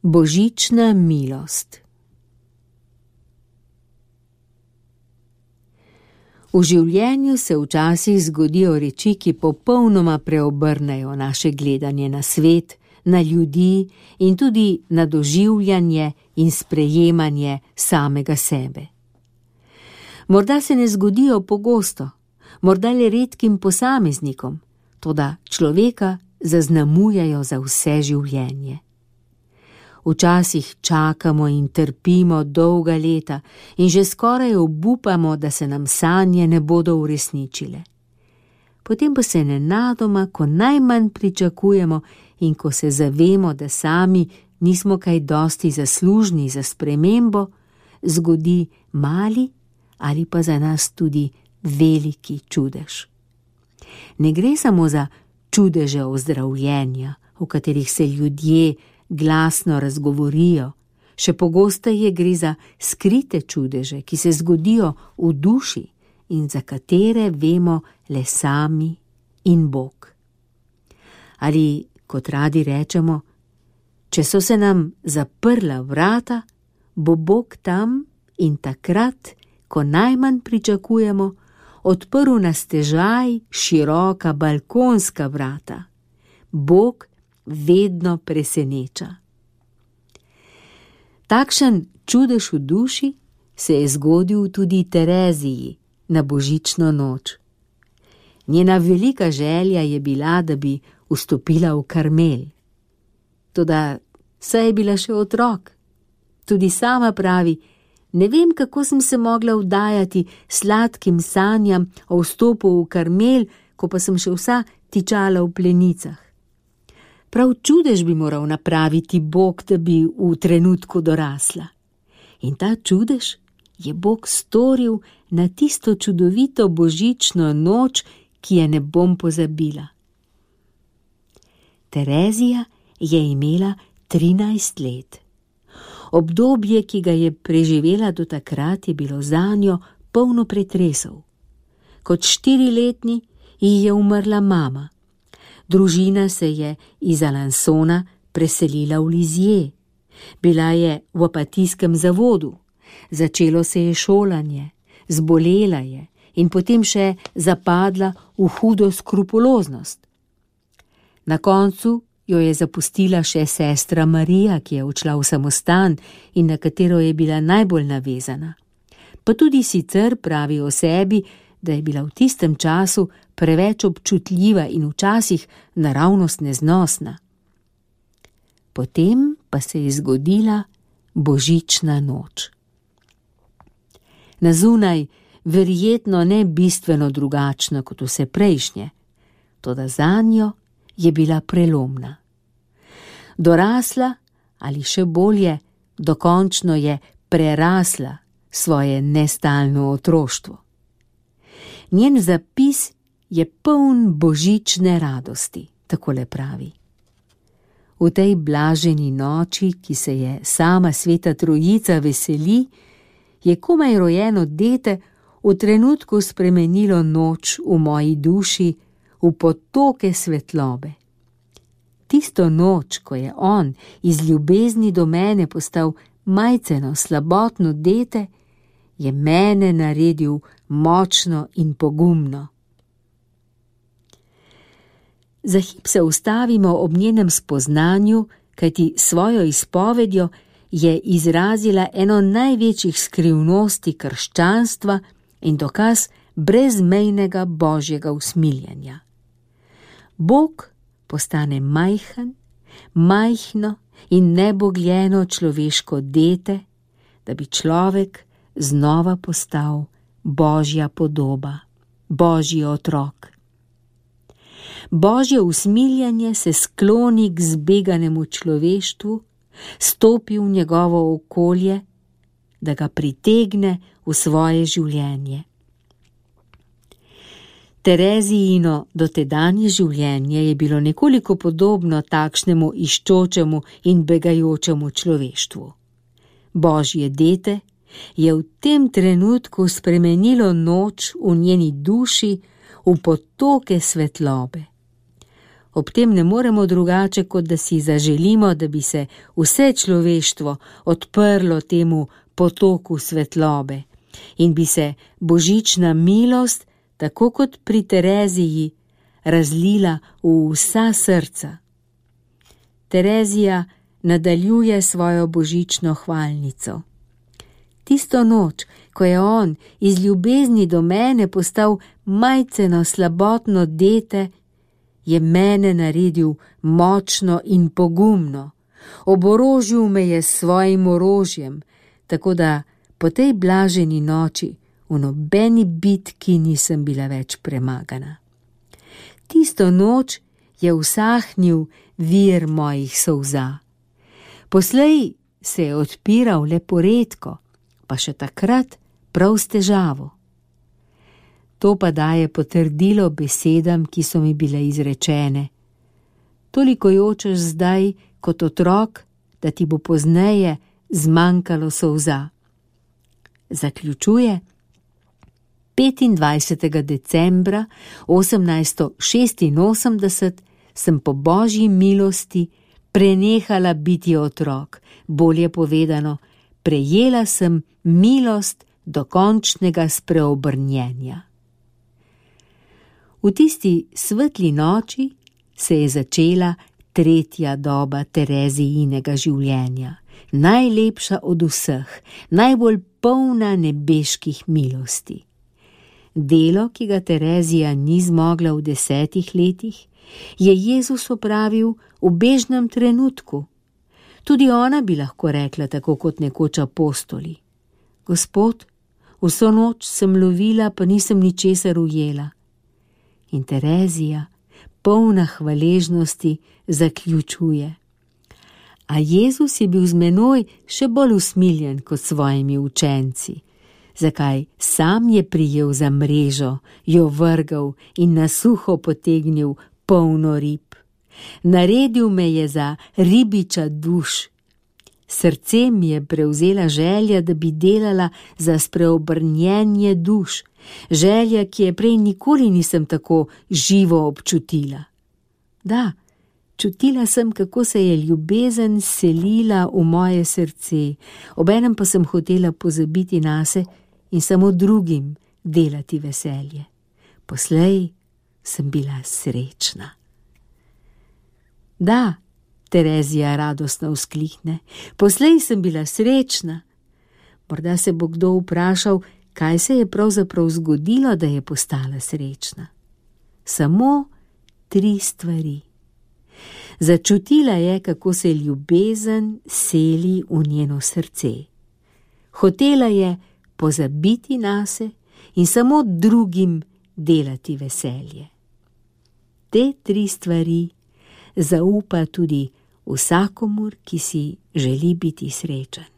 Božična milost. V življenju se včasih zgodijo reči, ki popolnoma preobrnejo naše gledanje na svet, na ljudi in tudi na doživljanje in sprejemanje samega sebe. Morda se ne zgodijo pogosto, morda le redkim posameznikom, toda človeka zaznamujejo za vse življenje. Včasih čakamo in trpimo dolga leta in že skoraj obupamo, da se nam sanje ne bodo uresničile. Potem pa se nenadoma, ko najmanj pričakujemo in ko se zavemo, da sami nismo kaj dosti zaslužni za spremembo, zgodi mali ali pa za nas tudi veliki čudež. Ne gre samo za čudeže ozdravljenja, v katerih se ljudje glasno razgovorijo, še pogosteje gre za skrite čudeže, ki se zgodijo v duši in za katere vemo le sami in Bog. Ali, kot radi rečemo, če so se nam zaprla vrata, bo Bog tam in takrat, ko najmanj pričakujemo, odprl na stežaj široka balkonska vrata. Bog vedno preseneča. Takšen čudež v duši se je zgodil tudi Tereziji na božično noč. Njena velika želja je bila, da bi vstopila v Karmel. Toda saj je bila še otrok. Tudi sama pravi, ne vem, kako sem se mogla vdajati sladkim sanjam o vstopu v Karmel, ko pa sem še vsa tičala v plenicah. Prav čudež bi moral napraviti Bog, da bi v trenutku dorasla. In ta čudež je Bog storil na tisto čudovito božično noč, ki je ne bom pozabila. Terezija je imela 13 let. Obdobje, ki ga je preživela do takrat, je bilo zanjo polno pretresov. Kot 4-letni ji je umrla mama. Družina se je iz Alansona preselila v Lizije. Bila je v apatijskem zavodu. Začelo se je šolanje, zbolela je in potem še zapadla v hudo skrupuloznost. Na koncu jo je zapustila še sestra Marija, ki je odšla v samostan in na katero je bila najbolj navezana. Pa tudi sicer pravi o sebi, da je bila v tistem času preveč občutljiva in včasih naravnost neznosna. Potem pa se je zgodila božična noč. Na zunaj verjetno ne bistveno drugačna kot vse prejšnje, toda zanjo je bila prelomna. Dorasla, ali še bolje, dokončno je prerasla svoje nestalno otroštvo. Njen zapis je poln božične radosti, takole pravi. V tej blaženi noči, ki se je sama Sveta Trojica veseli, je komaj rojeno dete v trenutku spremenilo noč v moji duši v potoke svetlobe. Tisto noč, ko je on iz ljubezni do mene postal majceno, slabotno dete, je mene naredil močno in pogumno. Za hip se ustavimo ob njenem spoznanju, kajti svojo izpovedjo je izrazila eno največjih skrivnosti krščanstva in dokaz brezmejnega božjega usmiljenja. Bog postane majhen, majhno in nebogljeno človeško dete, da bi človek znova postal božja podoba, božji otrok. Božje usmiljenje se skloni k zbeganemu človeštvu, stopi v njegovo okolje, da ga pritegne v svoje življenje. Terezijino dotedanje življenje je bilo nekoliko podobno takšnemu iščočemu in begajočemu človeštvu. Božje dete je v tem trenutku spremenilo noč v njeni duši v potoke svetlobe. Ob tem ne moremo drugače, kot da si zaželimo, da bi se vse človeštvo odprlo temu potoku svetlobe in bi se božična milost, tako kot pri Tereziji, razlila v vsa srca. Terezija nadaljuje svojo božično hvalnico. Tisto noč, ko je on iz ljubezni do mene postal majceno slabotno dete, je mene naredil močno in pogumno, oborožil me je s svojim orožjem, tako da po tej blaženi noči v nobeni bitki nisem bila več premagana. Tisto noč je usahnil vir mojih solza. Poslej se je odpiral le poredko, pa še takrat prav s težavo. To pa daje potrdilo besedam, ki so mi bile izrečene. Toliko jočeš zdaj kot otrok, da ti bo pozneje zmanjkalo solza. Zaključuje: 25. decembra 1886 sem po Božji milosti prenehala biti otrok, bolje povedano, prejela sem milost dokončnega spreobrnjenja. V tisti svetli noči se je začela tretja doba Terezijinega življenja, najlepša od vseh, najbolj polna nebeških milosti. Delo, ki ga Terezija ni zmogla v 10 letih, je Jezus opravil v bežnem trenutku. Tudi ona bi lahko rekla tako kot nekoč apostoli: Gospod, vso noč sem lovila, pa nisem ničesar ujela. In Terezija, polna hvaležnosti, zaključuje: A Jezus je bil z menoj še bolj usmiljen kot svojimi učenci. Zakaj sam je prijel za mrežo, jo vrgal in na suho potegnil polno rib. Naredil me je za ribiča duš. Srce mi je prevzela želja, da bi delala za spreobrnjenje duš, želja, ki je prej nikoli nisem tako živo občutila. Da, čutila sem, kako se je ljubezen selila v moje srce, obenem pa sem hotela pozabiti nase in samo drugim delati veselje. Poslej sem bila srečna. Da, Terezija radostno vzklikne, poslej sem bila srečna. Morda se bo kdo vprašal, kaj se je pravzaprav zgodilo, da je postala srečna. Samo 3 stvari. Začutila je, kako se ljubezen seli v njeno srce. Hotela je pozabiti nase in samo drugim delati veselje. Te 3 stvari zaupa tudi vsakomur, ki si želi biti srečen.